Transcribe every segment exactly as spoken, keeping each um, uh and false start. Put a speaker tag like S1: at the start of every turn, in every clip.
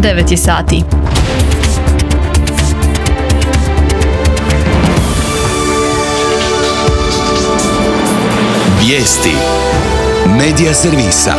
S1: devet je sati.
S2: Vijesti Medija servisa.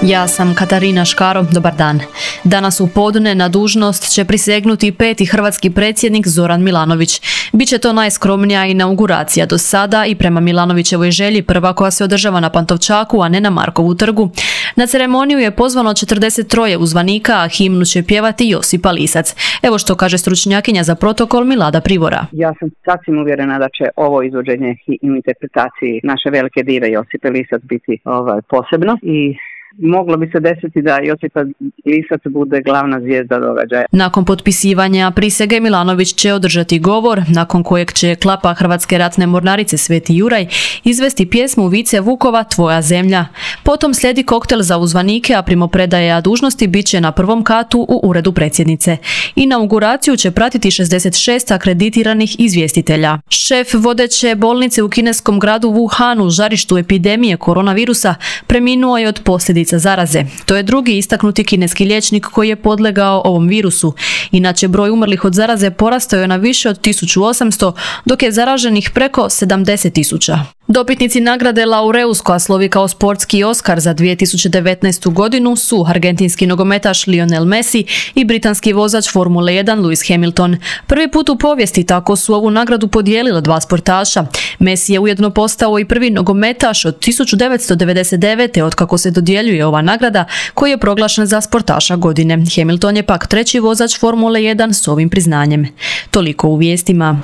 S1: Ja sam Katarina Škaro, dobar dan. Danas u podne na dužnost će prisegnuti peti hrvatski predsjednik Zoran Milanović. Biće to najskromnija inauguracija do sada i prema Milanovićevoj želji prva koja se održava na Pantovčaku, a ne na Markovu trgu. Na ceremoniju je pozvano četrdeset tri uzvanika, a himnu će pjevati Josipa Lisac. Evo što kaže stručnjakinja za protokol Milada Privora.
S3: Ja sam sasvim uvjerena da će ovo izvođenje i interpretaciji naše velike dive Josipe Lisac biti ovaj, posebno i moglo bi se desiti da Josipa Lisac bude glavna zvijezda događaja.
S1: Nakon potpisivanja prisege Milanović će održati govor, nakon kojeg će klapa Hrvatske ratne mornarice Sveti Juraj izvesti pjesmu Vice Vukova Tvoja zemlja. Potom slijedi koktel za uzvanike, a primopredaja dužnosti bit će na prvom katu u uredu predsjednice. Inauguraciju će pratiti šezdeset šest akreditiranih izvjestitelja. Šef vodeće bolnice u kineskom gradu Wuhanu, žarištu epidemije koronavirusa, preminuo je od posljedica zaraze. To je drugi istaknuti kineski liječnik koji je podlegao ovom virusu. Inače, broj umrlih od zaraze porastao je na više od tisuću osamsto, dok je zaraženih preko sedamdeset tisuća. Dobitnici nagrade Laureus, koja slovi kao sportski Oskar za dvije tisuće devetnaestu godinu, su argentinski nogometaš Lionel Messi i britanski vozač Formule jedan Lewis Hamilton. Prvi put u povijesti tako su ovu nagradu podijelila dva sportaša. Messi je ujedno postao i prvi nogometaš od tisuću devetsto devedeset devete otkako se dodjeljuje ova nagrada, koji je proglašen za sportaša godine. Hamilton je pak treći vozač Formule jedan s ovim priznanjem. Toliko u vijestima.